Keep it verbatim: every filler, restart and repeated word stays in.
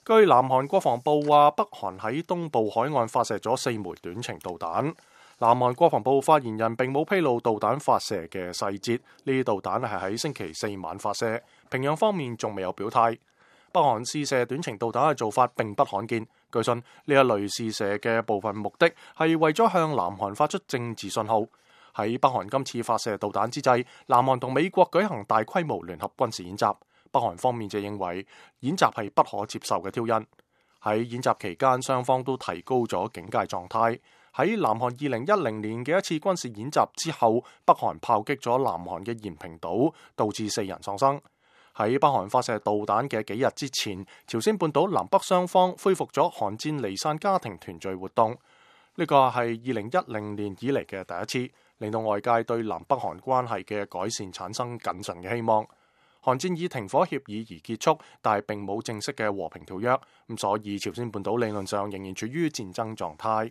據南韓國防部話，北韓喺東部海岸發射咗四枚短程導彈。南韓國防部發言人並冇披露導彈發射嘅細節，呢啲導彈係喺星期四晚發射，平壤方面仲未有表態。北韓試射短程導彈嘅做法並不罕見，據信呢一類試射嘅部分目的係為咗向南韓發出政治信號。喺北韓今次發射導彈之際，南韓同美國舉行大規模聯合軍事演習，北韓方面就認為演習係不可接受嘅挑釁。喺演習期間，雙方都提高咗警戒狀態。喺南韓二零一零年嘅一次軍事演習之後，北韓炮擊咗南韓嘅延坪島，導致四人喪生。喺北韓發射導彈嘅幾日之前，朝鮮半島南北雙方恢復咗韓戰離散家庭團聚活動，呢個係二零一零年以嚟嘅第一次，令到外界對南北韓關係嘅改善產生謹慎嘅希望。韓戰以停火協議而結束，但係並冇正式嘅和平條約，咁所以朝鮮半島理論上仍然處於戰爭狀態。